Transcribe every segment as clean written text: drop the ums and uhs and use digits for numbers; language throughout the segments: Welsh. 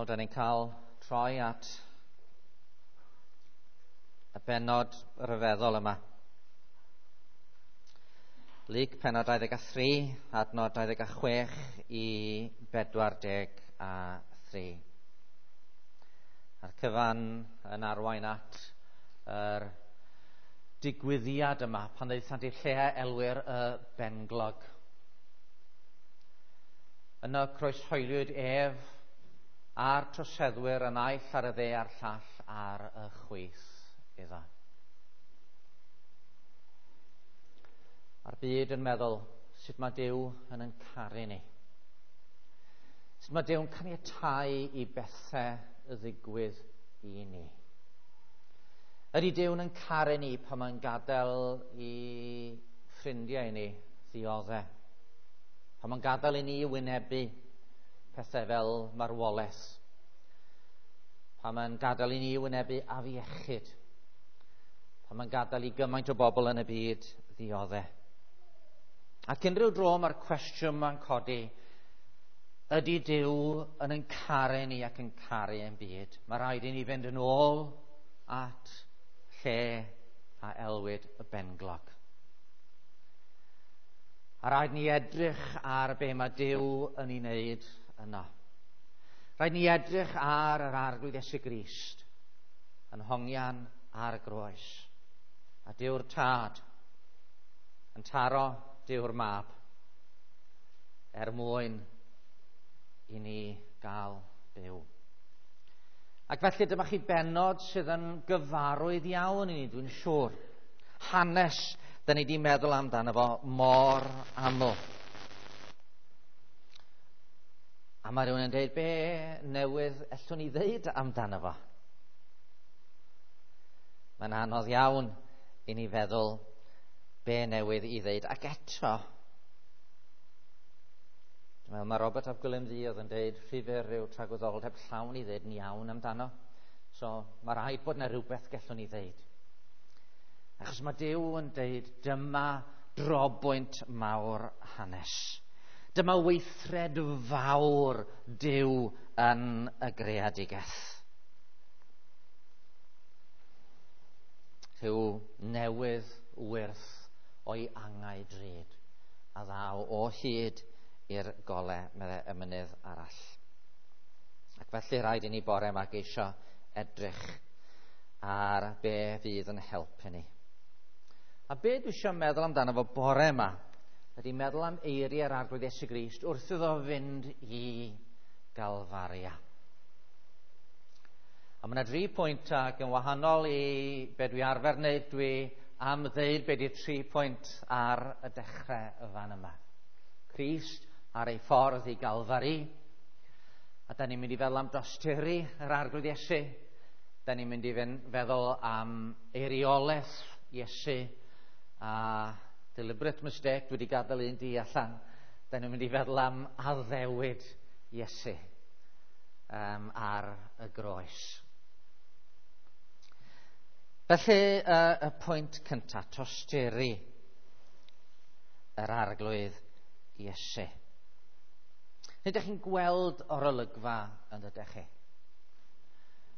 Wel, da ni'n cael troi at y bennod ryfeddol yma. Luc pennod 23, adnod 26 i 43. A'r cyfan yn arwain at yr digwyddiad yma pan ddaethant i'r lle a elwir y Benglog. Yno croeshoeliwyd ef a'r troseddwyr, y naill ar y dde a'r llall ar y chwith iddo. A'r byd yn meddwl sut mae Duw yn ein caru ni. Sut mae Duw'n caniatáu i bethau ddigwydd i ni. Ydy Duw'n yn caru ni pan mae'n gadael i ffrindiau ni ddioddef? Pan mae'n gadael i ni wynebu pethau fel marwolaeth? Pan mae'n gadael i ni wynebu afiechyd? Pan mae'n gadael i gymaint o bobl yn y byd ddioddef? Ac unrhyw dro mae'r cwestiwn ma'n codi, ydy Duw yn ein caru ni ac yn caru ein byd? Mae rhaid i ni fynd yn ôl at lle a elwid y Benglog. A rhaid ni edrych ar be mae Duw yn ei wneud yno. Rhaid ni edrych ar yr Arglwydd Iesu Grist yn hongian ar y groes. A Duw'r Tad yn taro Duw'r Mab er mwyn i ni gael byw. Ac felly dyma chi bennod sydd yn gyfarwydd iawn i ni, dwi'n siŵr. Hanes da ni wedi meddwl amdano fo mor aml. A mae rhywun yn dweud, be newydd ellwn ni ddeud amdano fo? Mae'n anodd iawn i ni feddwl be newydd i ddeud. Ac eto, dwi'n meddwl mae Robert ap Gwilym Ddu oedd yn dweud rhy fyr yw tragwyddoldeb llawn i ddeud yn iawn amdano. So mae rhaid bod yna rhywbeth gallwn ni ddeud. Achos mae Duw yn deud dyma drobwynt mawr hanes. Dyma weithred fawr Duw yn y greadigaeth. Rhyw newydd wyrth o'i angau drud a ddaw o hyd i'r gole, meddai y mynydd arall. Ac felly rhaid i ni bore yma geisio edrych ar be fydd yn helpu ni. A be dwi eisiau meddwl amdano fo bore yma ydy meddwl am eiriau'r Arglwydd Iesu Grist wrth iddo fynd i Galfaria. A mae yna dri pwynt ac yn wahanol i be dwi arfer wneud, dwi am ddeud be di'r 3 pwynt ar y dechrau y fan yma. Crist ar ei ffordd i Galfari, a da ni'n mynd i feddwl am dosturi yr Arglwydd Iesu, da ni'n mynd i feddwl am eiriolaeth Iesu, a deliberate mistake, dwi wedi gadael un di allan, da ni'n mynd i feddwl am addewid Iesu ar y groes. Felly, y pwynt cyntaf, tosturi yr Arglwydd Iesu. Nid ydych chi'n gweld o'r olygfa yn dydych chi.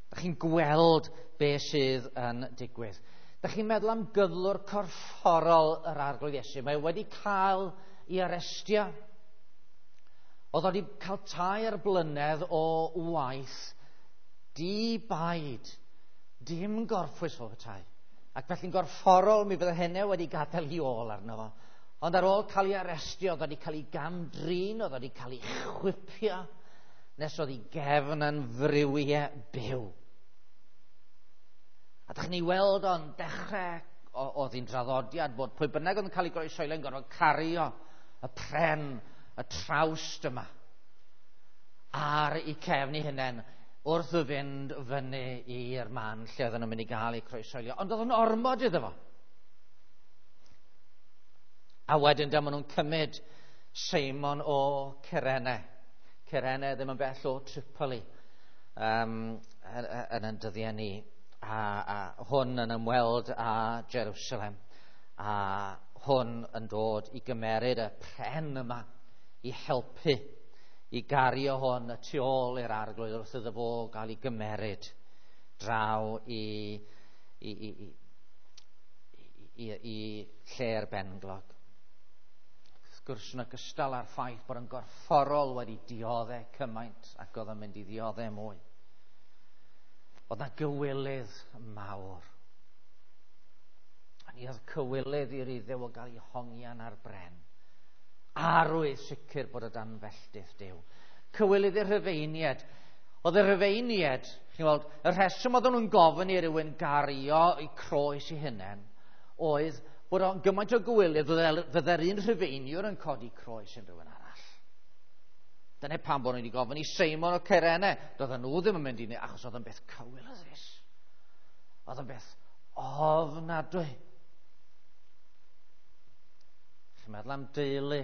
Ydych chi'n gweld be sydd yn digwydd. Ydych chi'n meddwl am gyflwr corfforol yr Arglwydd Iesu. Mae wedi cael ei arestio. Oedd wedi cael 3 blynedd o waith di-baid, dim gorffwys o petai. Ac felly'n gorfforol mi fydde hynny wedi gadael i ôl arno fo. Ond ar ôl cael ei arestio, oedd wedi cael ei gamdrin, oedd wedi cael ei chwipio, nes oedd ei gefn yn friwiau byw. A dych chi'n ei weld o'n dechrau, oedd hi'n draddodiad bod pwy bynnag oedd yn cael ei groeshoelio yn gorfod cario y pren, y trawst yma, ar eu cefn eu hunain wrth fynd fyny i'r man lle oedden nhw'n mynd i gael eu croeshoelio. Ond oedd yn ormod iddo fo. A wedyn dyma nhw'n cymryd Seimon o Cyrene. Cyrene ddim yn bell o Tripoli, yn ein dyddiau ni. A hwn yn ymweld â Jerusalem. A hwn yn dod i gymeryd y pren yma i helpu i gario hwn y tu ôl i'r arglwydd wrth iddo fo gael ei gymeryd draw i lle'r benglog. Wrth gwrs, yn ogystal â'r ffaith bod yn gorfforol wedi dioddau cymaint ac oedd yn mynd i ddioddau mwy. Oedd na gywilydd mawr. A ni oedd cywilydd i'r Iddew o gael ei hongian ar bren. Arwydd sicr bod o dan felltith Duw. Cywilydd i'r Rhufeiniaid. Oedd y Rhufeiniaid, chi'n weld, y rheswm oedden nhw'n gofyn i rywun gario eu croes i hunain oedd bod o'n gymaint o gywilydd fydde'r un Rhufeiniwr yn codi croes yn rhywun arall. Dyna pam bod nhw wedi gofyn i Seimon o Cyrene. Doedden nhw ddim yn mynd i ni, achos oedd yn beth cywilyddus. Oedd yn beth ofnadwy. Chi'n meddwl am deulu.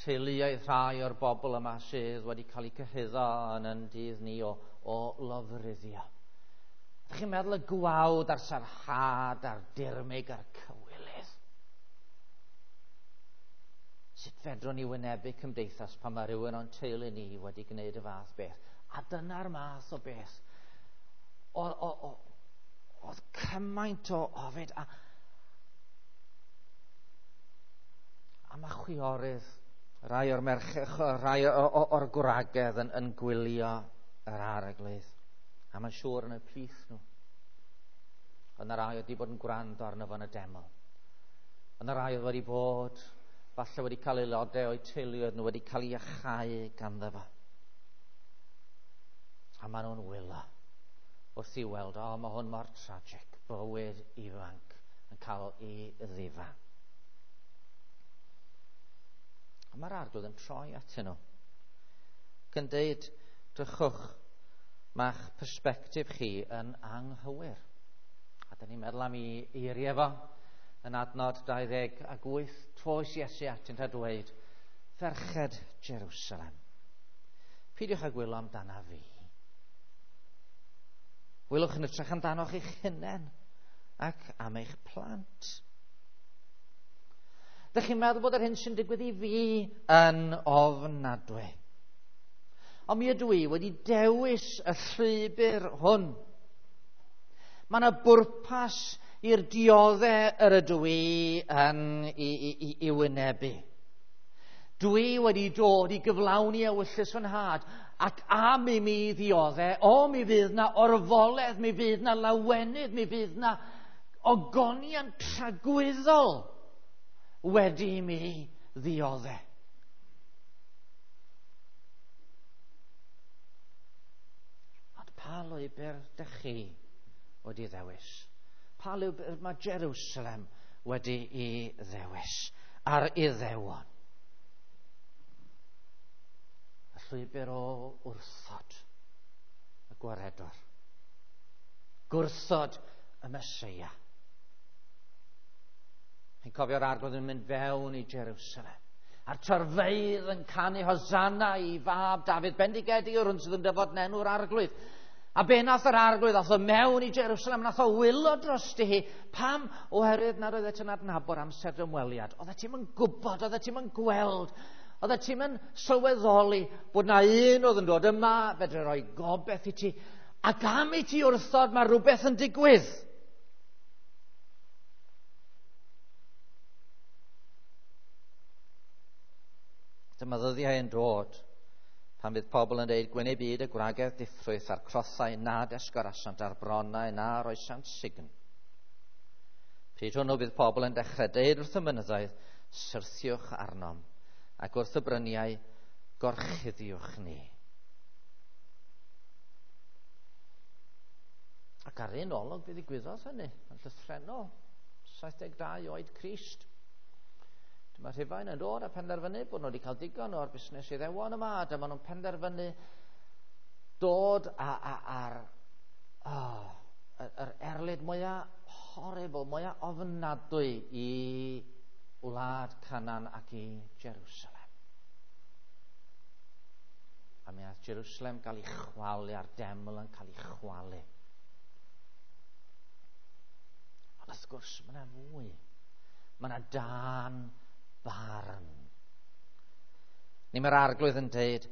Teuluoedd rhai o'r bobl yma sydd wedi cael eu cyhuddo yn yn dydd ni o lofruddio. Ydych chi'n meddwl y gwawd a'r sarhad a'r dirmyg a'r cywilydd? Sut fedrwn ni wynebu cymdeithas pan mae rhywun o'n teulu ni wedi gwneud y fath beth? A dyna'r math o beth. Oedd cymaint o ofid. A mae chwiorydd, rhai o'r merched, rhai o'r gwragedd yn gwylio yr arglwydd. A mae'n siŵr yn y plith nhw. Oedd yna rai wedi bod yn gwrando arno fo yn y deml. Oedd yna rai oedd wedi bod, falle wedi cael aelodau o'u teuluoedd nhw wedi cael eu iachau ganddo fo. A maen nhw'n wylo wrth i weld, o, mae hwn mor tragic, bywyd ifanc yn cael ei ddifa. A mae'r arglwydd yn troi atyn nhw. Ac yn deud, drychwch, mae'ch persbectif chi yn anghywir. A dyn ni'n meddwl am ei eiriau fo yn adnod 28, troes Iesu atynt a dweud, ferched Jerusalem, peidiwch â gwylo amdana fi. Gwylwch yn hytrach amdanoch eich hunain ac am eich plant. Dych chi'n meddwl bod yr hyn sy'n digwydd i fi yn ofnadwy. Ond mi ydw i wedi dewis y llwybr hwn. Mae yna bwrpas i'r dioddau yr ydw i yn i wynebu. Dwi wedi dod i gyflawni ewyllys fy nhad, ac am i mi ddioddau, o, mi fydd na orfoledd, mi fydd na lawenydd, mi fydd na ogoniant tragwyddol wedi i mi ddioddau. Ond pa lwybr dych chi wedi ddewis? Pa lwybr mae Jerusalem wedi i ddewis a'r Iddewon? Y llwybr o wrthod y gwaredwr. Gwrthod y Meseia. Chi'n cofio'r arglwydd yn mynd fewn i Jerusalem. A'r torfeydd yn canu Hosanna i fab Dafydd, bendigedig yw'r hwn sydd yn dyfod yn enw'r arglwydd. A be nath yr arglwydd? Ath o mewn i Jerusalem, nath o wylo drosti hi. Pam? Oherwydd nad oeddet ti'n adnabod amser dy ymweliad. Oeddet ti'm yn gwybod, oeddet ti'm yn gweld, oeddet ti'm yn sylweddoli bod na un oedd yn dod yma, fedre roi gobeith i ti. Ac am i ti wrthod, mae rhywbeth yn digwydd. Dyma ddyddiau yn dod pan fydd pobl yn dweud gwyn eu byd y gwragedd diffrwyth a'r crothau nad esgorasant a'r bronnau na roesant sign. Pryd hwnnw bydd pobl yn dechrau deud wrth y mynyddoedd, syrthiwch arnom, ac wrth y bryniau, gorchuddiwch ni. Ac ar un olwg fe ddigwyddodd hynny, yn llythrennol, 72 oed Crist. Dyma Rhufain yn dod a penderfynu bod nhw wedi cael digon o'r busnes Iddewon yma, a dyma nhw'n penderfynu dod ar yr erlid mwyaf horrible, mwyaf ofnadwy i wlad Canaan ac i Jerusalem. A mi aeth Jerusalem gael ei chwalu, a'r deml yn cael ei chwalu. Ond wrth gwrs, mae yna fwy. Mae yna dân barn. Neu mae'r Arglwydd yn deud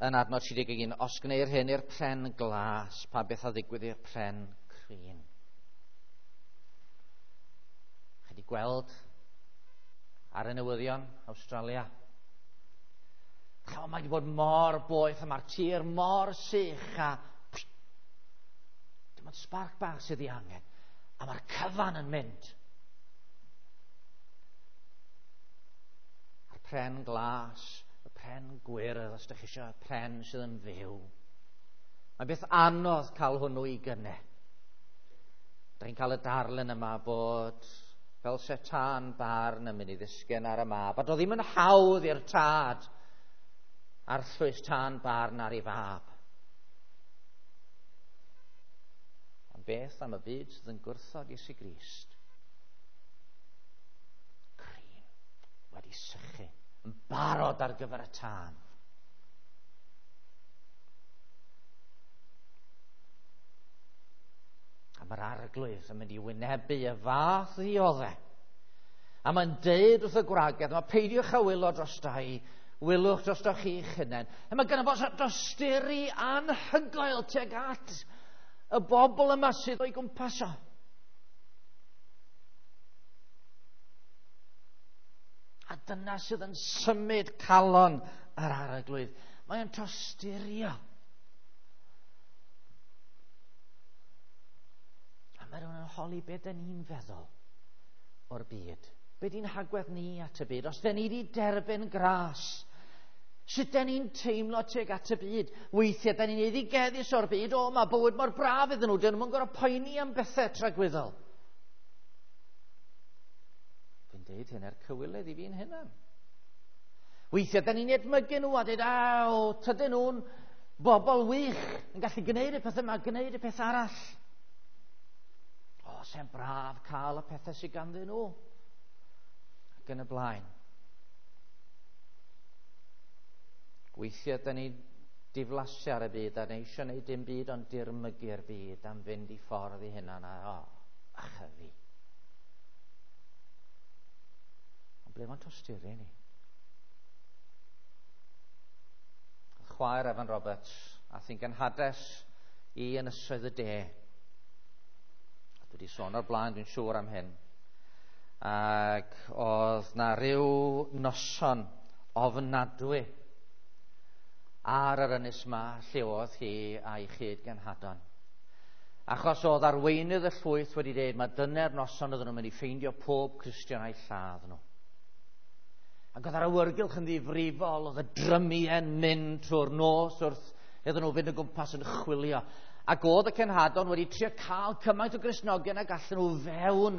yn adnod 31, os gwneir hyn i'r pren glas, pa beth a ddigwydd i'r pren crin? Chi wedi gweld ar y newyddion Awstralia? Chymod, mae wedi bod mor boeth a mae'r tir mor sych a dim ond sbarc bach sydd ei angen. A mae'r cyfan yn mynd. A'r pren glas, y pren gwyrdd, os ydych chi eisiau, y pren sydd yn fyw. Mae'n beth anodd cael hwnnw i gynne. Da chi'n cael y darlun yma bod fel se tân barn yn mynd i ddisgyn ar y mab. A do ddim yn hawdd i'r tad arllwys tân barn ar ei fab. Ond beth am y byd sydd yn gwrthod Iesu Grist? Crin, wedi sychu, yn barod ar gyfer y tân. A mae'r Arglwydd yn mynd i wynebu y fath ddioddau. A mae'n deud wrth y gwragedd, mae peidiwch â wylo drosta i, wylwch drosto chi'ch hunain. A mae gynno fo dosturi anhygoel tuag at y bobl yma sydd o'i gwmpas o. A dyna sydd yn symud calon yr Arglwydd. Mae'n tosturio. A mae rhywun yn holi beth dyn ni'n feddwl o'r byd. Be di'n hagwedd ni at y byd? Os dyn ni wedi derbyn gras, sut dyn ni'n teimlo tuag at y byd? Weithiau dyn ni'n eiddigeddus o'r byd, o, mae bywyd mor braf iddyn nhw, dyn nhw'n gorfod poeni am bethau tragwyddol. Dwi'n deud hyn er cywilydd i fi'n hunan. Weithiau dyn ni'n edmygu nhw a dweud, aw, tydyn nhw'n bobl wych, yn gallu gwneud y peth yma, gwneud y peth arall. O, se'n braf cael y pethau sydd ganddyn nhw. Ac yn y blaen. Weithiau dyn ni diflasu ar y byd a ni eisiau gwneud dim byd ond dirmygu'r byd am fynd i ffordd i hunan a o, a chyfi. Ond ble mae'n tosturi ni? Chwaer Evan Roberts ath hi'n genhades i Ynysoedd y De. A dwi wedi sôn o'r blaen, dwi'n siŵr am hyn. Ac oedd na ryw noson ofnadwy ar yr ynys ma lle oedd hi a'i chyd-genhadon. Achos oedd arweinydd y llwyth wedi dweud mae dyna'r noson oedden nhw'n mynd i ffeindio pob Cristion a'i lladd nhw. Ac oedd yr awyrgylch yn ddifrifol, oedd y drymiau'n mynd trwy'r nos wrth iddyn nhw fynd o gwmpas yn chwilio. Ac oedd y cenhadon wedi trio cael cymaint o Gristnogion ag allan nhw fewn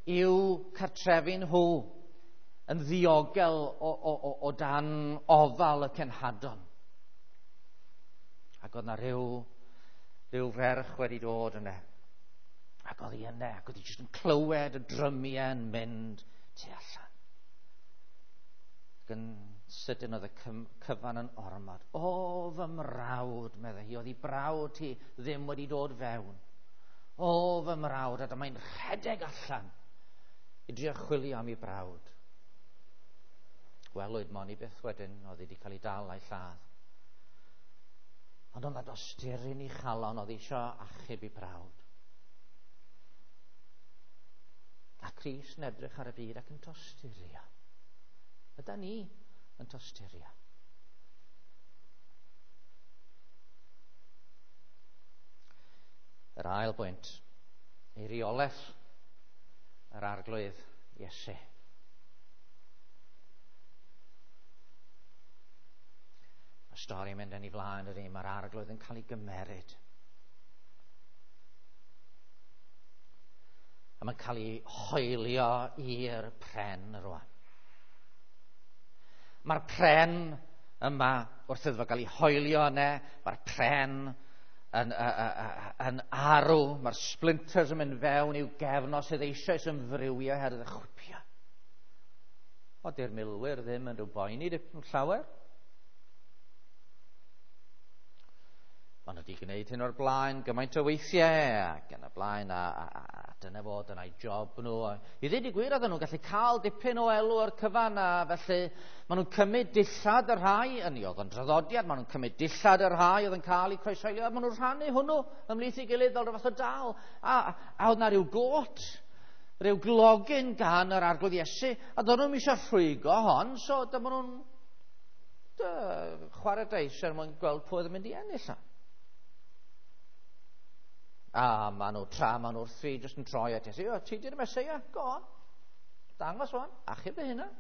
i'w cartrefi nhw yn ddiogel o dan ofal y cenhadon. Ac oedd na rhyw ferch wedi dod yna. Ac oedd hi yna, ac oedd hi jyst yn clywed y drymiau yn mynd tu allan. Ac yn sydyn oedd y cyfan yn ormod. O, fy mrawd, meddai hi, oedd hi brawd hi ddim wedi dod fewn. O, fy mrawd, a dyma'n rhedeg allan i drio chwilio am ei brawd. Welwyd mon i byth wedyn, oedd hi wedi cael ei dal a'i lladd. Ond oedd na dosturi'n ei chalon, oedd eisiau achub ei brawd. A Crist yn edrych ar y byd ac yn tosturio. Yda ni yn tosturio. Yr ail bwynt, eiriolaeth yr Arglwydd Iesu. Mae'r stori yn mynd yn ei flaen ydy, mae'r Arglwydd yn cael ei gymeryd. A mae'n cael ei hoelio i'r pren rwan. Mae'r pren yma, wrth iddo fo gael ei hoelio yna, mae'r pren yn arw, mae'r splinters yn mynd fewn i'w gefn os sydd eisoes yn frywio oherwydd y chwipio. O, di'r milwyr ddim yn rhyw boeni dipyn llawer. Maen nhw wedi gwneud hyn o'r blaen gymaint o weithiau ac yn y blaen a dyna fo, dyna'i job nhw. I ddweud y gwir, oedden nhw'n gallu cael dipyn o elw o'r cyfan, a felly maen nhw'n cymryd dillad y rhai, yn oedd yn draddodiad, maen nhw'n cymryd dillad y rhai oedd yn cael eu croeshoelio, a maen nhw'n rhannu hwnnw ymhlith ei gilydd fel rhyw fath o dal. A oedd na rhyw got, rhyw glogyn gan yr Arglwydd Iesu, a doedd nhw'n eisiau rhwygo hon, so dyma nhw'n chwarae deis er mwyn gweld pwy oedd yn mynd i ennill. A maen nhw, tra maen nhw wrthi, jyst yn troi at Iesu, o, ti di'r Meseia, go on, dangos o'n, achub dy hunan.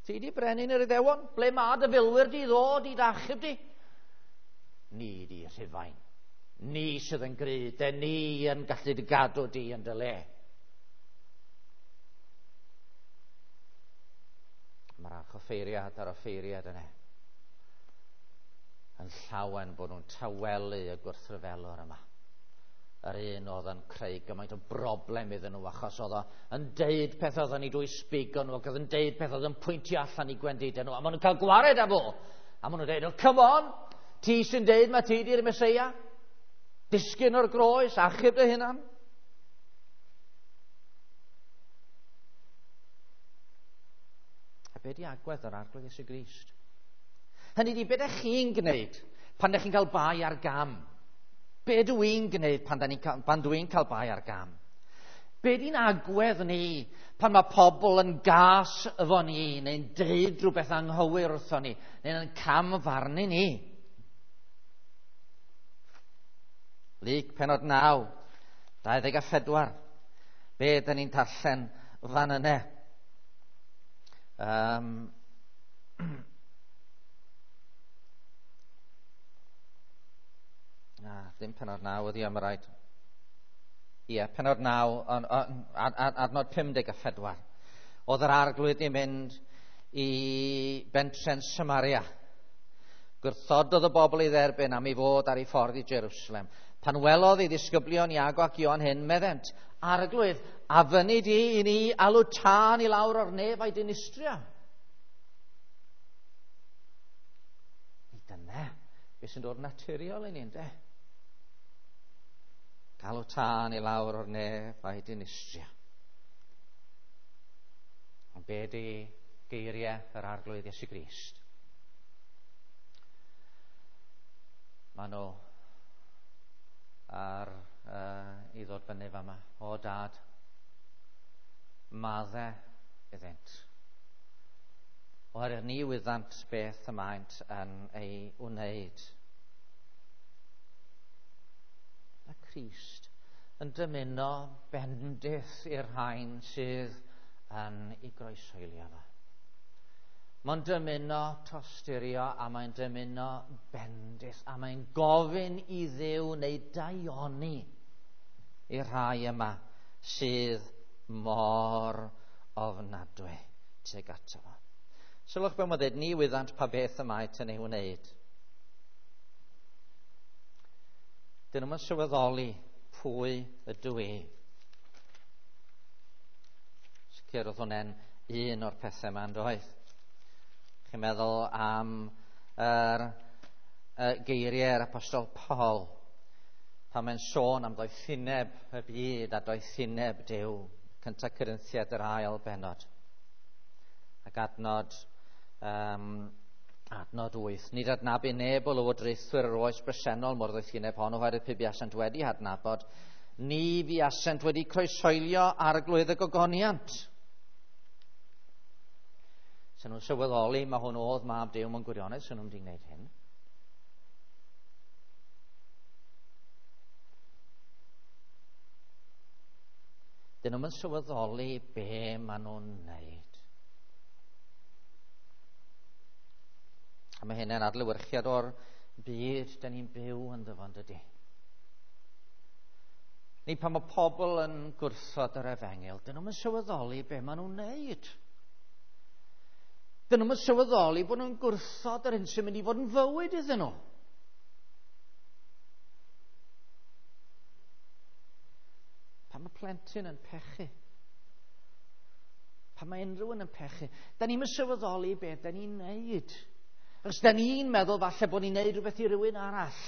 Ti di brenin yr Iddewon, ble mae dy filwyr di ddod i dachub di? Ni di Rhufain, ni sydd yn gry, de ni yn gallu dy gadw di yn dy le. Mae'r archoffeiriad a'r offeiriad yna yn llawen bod nhw'n tawelu y gwrthryfelwr yma. Yr un oedd yn creu gymaint o broblem iddyn nhw, achos oedd o yn deud peth oedd yn ei dwy sbigo nhw, ac oedd yn deud peth oedd yn pwyntio allan i gwendidau nhw, a maen nhw'n cael gwared â fo. A maen nhw'n deud, oh, come on, ti sy'n deud mae ti di'r Meseia, disgyn o'r groes, achub dy hunan. A be di agwedd yr Arglwydd Iesu Grist? Hynny di, be ydych chi'n gwneud pan ydych chi'n cael bai ar gam? Be dw i'n gwneud pan dw i'n cael bai ar gam? Be di'n agwedd ni pan mae pobl yn gas efo ni, neu'n deud rhywbeth anghywir wrtho ni, neu'n camfarnu ni? Luc penod 9, 24. Be dyn ni'n darllen fan yna? Ddim penod 9 ydi am y rhaid. Ie, penod 9, adnod 54. Oedd yr Arglwydd yn mynd i bentre'n Samaria. Gwrthododd y bobl i dderbyn am ei fod ar ei ffordd i Jerusalem. Pan welodd ei ddisgyblion Iago ac Ioan hyn, meddent, Arglwydd, a fyny di i ni alw tân i lawr o'r nef a'i dinistrio. Ni dyna beth sy'n dod naturiol i ni, ynde? Galw tân i lawr o'r nef a'i dinistrio. Ond be di geiriau yr Arglwydd Iesu Grist? Maen nhw ar i ddod fyny fama. O dad, madde iddynt. Oherwydd ni wyddant beth y maent yn ei wneud. Mae Crist yn dymuno bendith i'r rhain sydd yn ei groeshoelio fo. Mae'n dymuno tosturio a mae'n dymuno bendith a mae'n gofyn i Dduw neu daioni i'r rhai yma sydd mor ofnadwy tuag ato fo. Sylwch be mae'n dweud, ni wyddant pa beth y maent yn ei wneud. Dyn nhw'n sylweddoli pwy ydw i. Sicr oedd hwnna'n un o'r pethau yma, yn doedd? Chi'n meddwl am yr geiriau yr Apostol Paul, pan mae'n sôn am doethineb y byd a doethineb Duw, 1 Corinthiaid yr ail bennod. Ac adnod 8. Nid adnabu neb o lywodraethwyr yr oes bresennol mor ddoethineb hon, oherwydd pe buasent wedi hadnabod, ni fuasent wedi croeshoelio Arglwydd y gogoniant. Sen nhw'n sylweddoli, mae hwn oedd mab Duw mewn gwirionedd, sen nhw'n wedi gwneud hyn. Dyn nhw'n sylweddoli be maen nhw'n wneud. A mae hynny'n adlewyrchiad o'r byd dyn ni'n byw ynddo fo, yndydi? Ni pan mae pobl yn gwrthod yr efengyl, dyn nhw'n sylweddoli be maen nhw'n wneud. Dyn nhw'n sylweddoli bod nhw'n gwrthod yr hyn sy'n mynd i fod yn fywyd iddyn nhw. Pan mae plentyn yn pechu, pan mae unrhyw un yn pechu, da ni'n sylweddoli be da ni'n wneud. Achos da ni'n meddwl falle bod ni'n neud rhywbeth i rywun arall.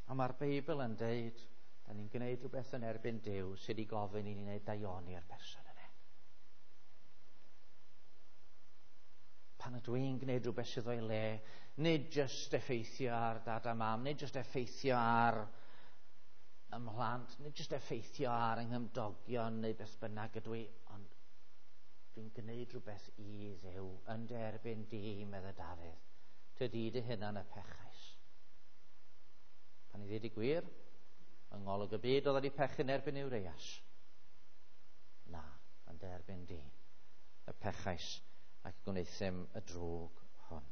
A mae'r Beibl yn deud, da ni'n gwneud rhywbeth yn erbyn Duw sydd wedi gofyn i ni wneud daioni i'r person yna. Pan ydw i'n gwneud rhywbeth sydd o'i le, nid jyst effeithio ar dad a mam, nid jyst effeithio ar ymhlant, nid jyst effeithio ar yng nghymdogion neu beth bynnag ydw i, ond dwi'n gwneud rhywbeth i Dduw yn derbyn di, medde Dafydd. Tydi dy hunan y pechais. Pan i ddweud y gwir, yng ngolwg y byd oedd wedi pechu'n erbyn Urias. Na, yn derbyn di, y pechais ac gwnaethum y drwg hwn.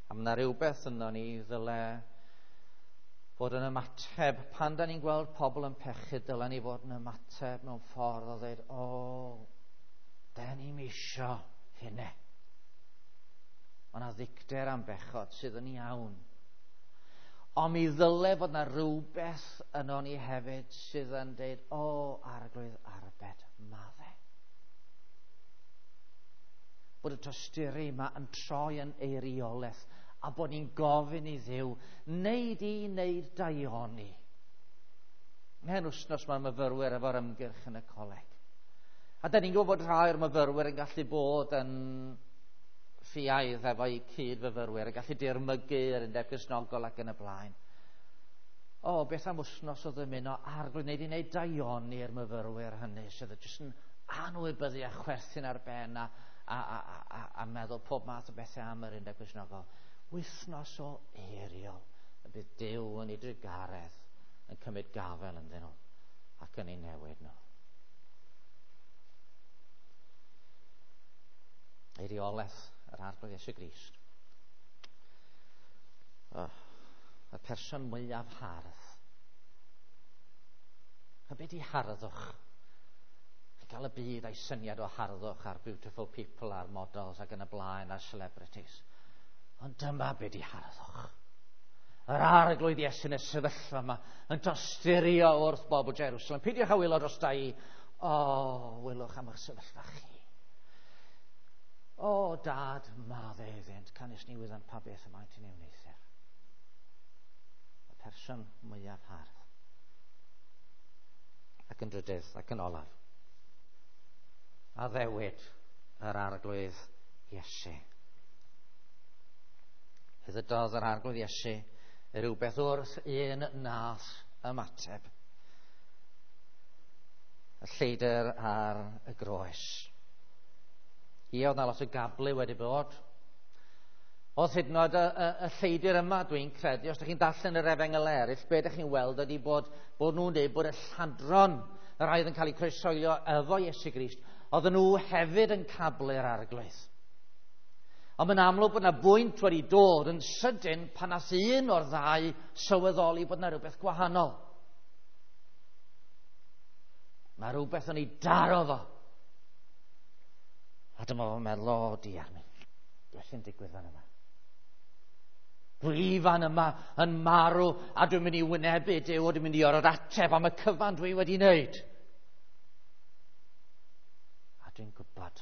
A mae yna rhywbeth yno ni ddyle fod yn ymateb. Pan da ni'n gweld pobl yn pechu, dyle ni fod yn ymateb mewn ffordd o ddweud, o, da ni'n isio hynny. Mae yna ddicter am bechod sydd yn iawn. Ond mi ddyle fod yna rhywbeth yno ni hefyd sydd yn dweud, o, Arglwydd arbed, madde. Bod y tosturi yma yn troi yn eiriolaeth a bod ni'n gofyn i Dduw, wneud i wneud daioni. Mhen wythnos mae'r myfyrwyr efo'r ymgyrch yn y coleg. A da ni'n gwybod bod rhai o'r myfyrwyr yn gallu bod yn ffiaidd efo'u cyd-fyfyrwyr, yn gallu dirmygu yr Undeb Gristnogol ac yn y blaen. O, beth am wythnos o ddymuno Arglwydd, wneud i wneud daioni i'r myfyrwyr hynny sydd jyst yn anwybyddu a chwerthin ar ben a meddwl pob math o bethau am yr Undeb Gristnogol. Wythnos o eiriol y bydd Duw yn ei drugaredd yn cymryd gafael ynddyn nhw ac yn ei newid nhw. Eiriolaeth yr Arglwydd Iesu Grist. Oh, y person mwyaf hardd. A beth di harddwch? Chi'n cael y byd a'i syniad o harddwch a'r beautiful people a'r models ac yn y blaen a'r celebrities. Ond dyma beth di harddwch. Yr Arglwydd Iesu yn y sefyllfa yma yn tosturio wrth bobl Jerusalem. Peidiwch â wylo dros da i. O, wylwch am eich sefyllfa chi. O, dad, madde iddynt, canys ni wyddant pa beth y maent yn ei wneuthur. Y person mwyaf hardd. Ac yn drydydd, ac yn olaf. Addewid yr Arglwydd Iesu. Ddydodd yr Arglwydd Iesu rhywbeth wrth un nath ymateb. Y lleidr ar y groes. Ie, oedd na lot o gablu wedi bod. Oedd hyd yn oed y lleidr yma, dwi'n credu, os ydych chi'n darllen yr efengyl eraill, be ydych chi'n weld ydy bod nhw'n dweud bod y lladron, y rhai oedd yn cael eu croeshoelio efo Iesu Grist, oedden nhw hefyd yn cablu'r Arglwydd. Ond mae'n amlwg bod yna bwynt wedi dod yn sydyn pan nath un o'r ddau sylweddoli bod yna rhywbeth gwahanol. Mae rhywbeth yn ei daro fo. A dyma fo'n meddwl, o, diar mi, beth sy'n digwydd fan yma? Dwi fan yma yn marw a dwi'n mynd i wynebu Duw, a dwi'n mynd i orfod ateb am y cyfan dwi wedi wneud. A dwi'n gwybod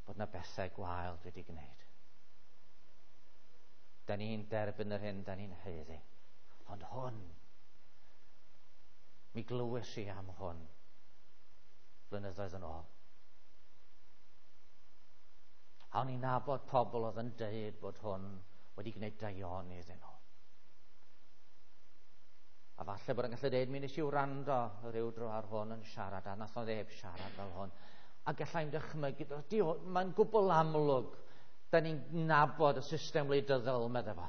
bod yna bethau gwael dwi wedi gwneud. Da ni'n derbyn yr hyn da ni'n haeddu. Ond hwn, mi glywes i am hwn blynyddoedd yn ôl. A o'n i'n nabod pobl oedd yn deud bod hwn wedi gwneud daioni iddyn nhw. A falle bod yn gallu deud, mi nes i wrando rhyw dro ar hwn yn siarad, a nath o neb siarad fel hwn. A gallai'm dychmygu, mae'n gwbl amlwg, da ni'n nabod y system wleidyddol, medde fo.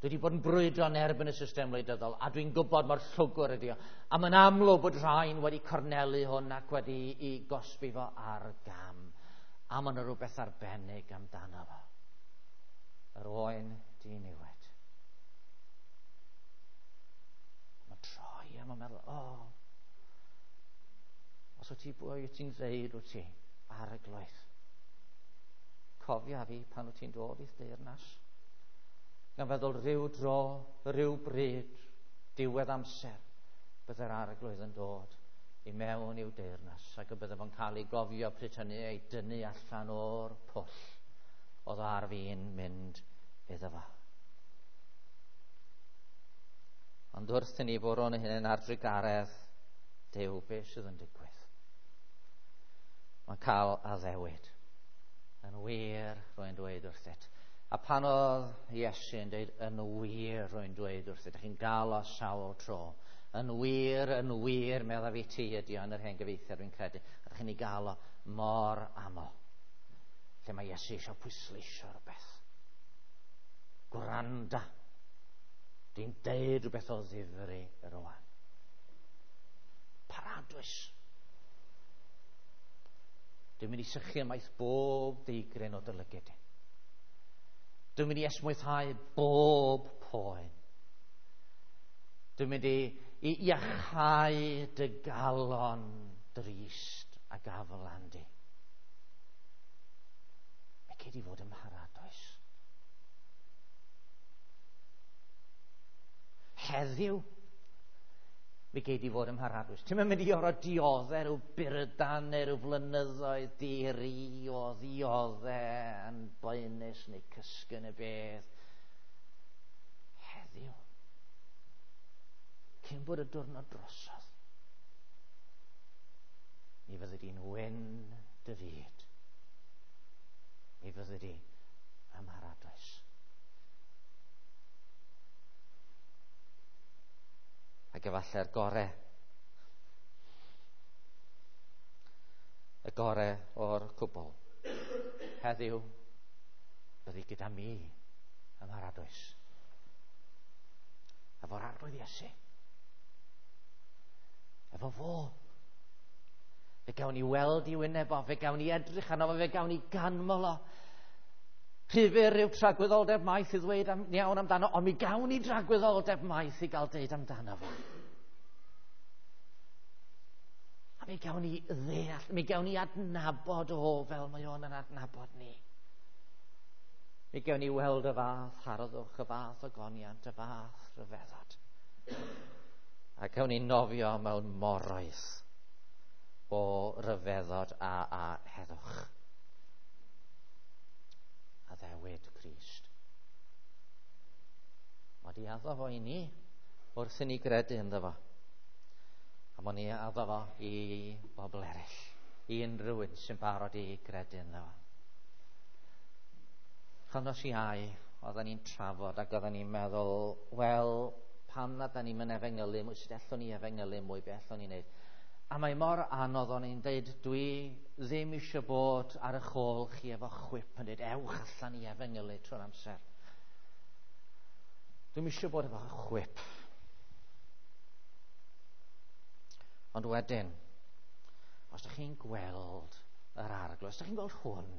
Dwi wedi bod yn brwydro yn erbyn y system wleidyddol, a dwi'n gwybod mor llwgr ydi o. A mae'n amlwg bod rhain wedi cornelu hwn ac wedi i gosbi fo ar gam. A mae yna rhywbeth arbennig amdano fo. Yr oen diniwed. Mae'n troi a mae'n meddwl, o, os wyt ti bwy wyt ti'n ddeud wyt ti ar y gloeth. Cofia fi pan wyt ti'n dod i'th deyrnas. Gan feddwl rhyw dro, rhyw bryd, diwedd amser, bydde'r Arglwydd yn dod i mewn i'w deyrnas ac y bydde fo'n cael ei gofio pryd hynny ei dynnu allan o'r pwll oedd ar fin mynd iddo fo. Ond wrth i ni fwrw yn hunain ar drugaredd Duw, beth sydd yn digwydd? Mae'n cael addewid. Yn wir, rwy'n dweud wrthyt. A pan oedd Iesu yn dweud, yn wir, rwy'n dweud wrthyt, ydych chi'n gael o sawl tro. Yn wir, meddaf i ti ydi o yn yr hen gyfeithiad, dwi'n credu. Ydych chi'n ei gael o mor aml. Lle mae Iesu eisiau pwysleisio rhywbeth. Gwranda. Dwi'n deud rhywbeth o ddifri rwan. Paradwys. Dwi'n mynd i sychu ymaith bob deigryn o dy lygid. Dwi'n mynd i esmwythau bob poen. Dwi'n mynd i iachau dy galon drist a gaflan di. Mae cei di fod ym mharadwys. Heddiw, mi gei di fod ym mharadwys. Ti'n mynd i orfod dioddau rhyw burdan neu rhyw flynyddoedd di-ri o ddioddau yn boenus neu cysgu yn y bedd. Heddiw, cyn bod y diwrnod drosodd, mi fyddi di'n wyn dy fyd. Mi fyddi di ym mharadwys. Ac efallai'r gore. Y gore o'r cwbl. Heddiw, byddi gyda mi ym mharadwys. Efo'r Arglwydd Iesu. Efo fo. Fe gawn ni weld i wyneb o, fe gawn ni edrych arno fo, fe gawn ni ganmol o. Rhy fyr yw tragwyddoldeb maith i ddweud iawn amdano, ond mi gawn ni dragwyddoldeb maith i gael deud amdano fo. A mi gawn ni ddeall, mi gawn ni adnabod o fel mae o'n yn adnabod ni. Mi gawn ni weld y fath harddwch, y fath ogoniant, y fath rhyfeddod. A gawn ni nofio mewn moroedd o ryfeddod a heddwch. Addewid Crist. Mae di addo fo i ni wrth i ni gredu ynddo fo. A mae ni addo fo i bobl eraill, i unrhyw un sy'n barod i gredu ynddo fo. Chos Iau, oedden ni'n trafod ac oedden ni'n meddwl, wel, pam na da ni'n mynd efengylu mwy, sut allwn ni efengylu mwy, be allwn ni wneud? A mae mor anodd o'n i'n deud, dwi ddim eisiau bod ar eich ôl chi efo chwip yn dweud, ewch allan i efengylu trwy'r amser. Dwi'm eisiau bod efo chwip. Ond wedyn, os ydych chi'n gweld yr Arglwydd, os ydych chi'n gweld hwn,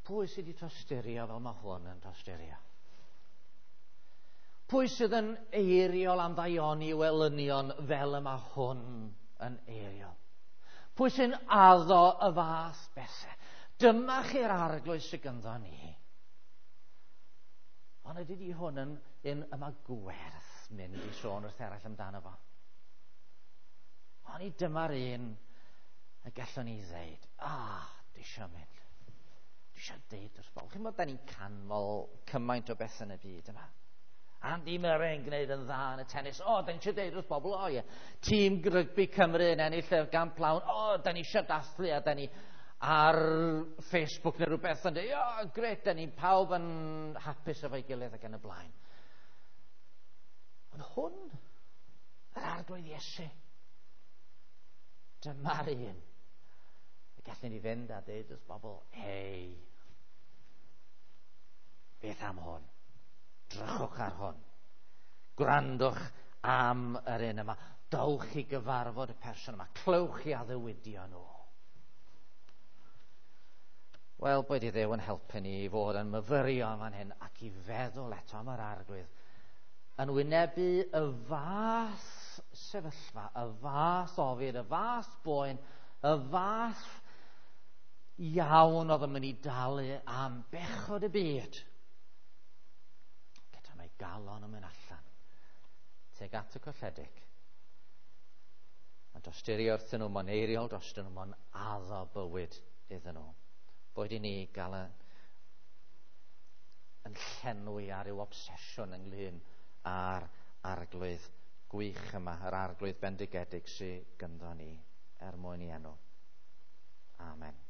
pwy sydd wedi tosturio fel mae hwn yn tosturio? Pwy sydd yn eiriol am ddaioni welynion fel y mae hwn yn eiriol? Pwy sy'n addo y fath bethau? Dyma chi'r Arglwydd sydd gynddo ni. Ond ydy di hwn yn un yma gwerth mynd i sôn wrth eraill amdano fo? Ond i dyma'r un y gallwn ni ddeud, dwi eisiau mynd. Dwi eisiau deud wrth bobl. Chi'n bod da ni'n canmol cymaint o bethau yn y byd yma. Andy Murray yn gwneud yn dda yn y tennis. O, da ni eisiau deud wrth bobl, o ie. Tîm rygbi Cymru yn ennill y gamp lawn. O, da ni eisiau dathlu a da ni ar Facebook neu rhywbeth yn dweud, o, gret, da ni pawb yn hapus efo'i gilydd ac yn y blaen. Ond hwn, yr Arglwydd Iesu, dyma'r un. Y gallwn ni fynd a deud wrth bobl, hei, beth am hwn? Drychwch ar hwn. Gwrandwch am yr un yma. Dowch i gyfarfod y person yma. Clywch i addewidion nhw. Wel, boed i Dduw yn helpu ni i fod yn myfyrio am fan hyn ac i feddwl eto am yr Arglwydd. Yn wynebu y fath sefyllfa, y fath ofid, y fath boen, y fath iawn oedd yn mynd i dalu am bechod y byd. Gyda mae galon yn mynd allan tuag at y colledig. Mae'n dosturio wrthyn nhw, mae'n eiriol drostyn nhw, mae'n addo bywyd iddyn nhw. Boed i ni gael llenwi ar ryw obsesiwn ynglyn â'r arglwydd gwych yma, yr arglwydd bendigedig sydd gynddo ni er mwyn i enw. Amen.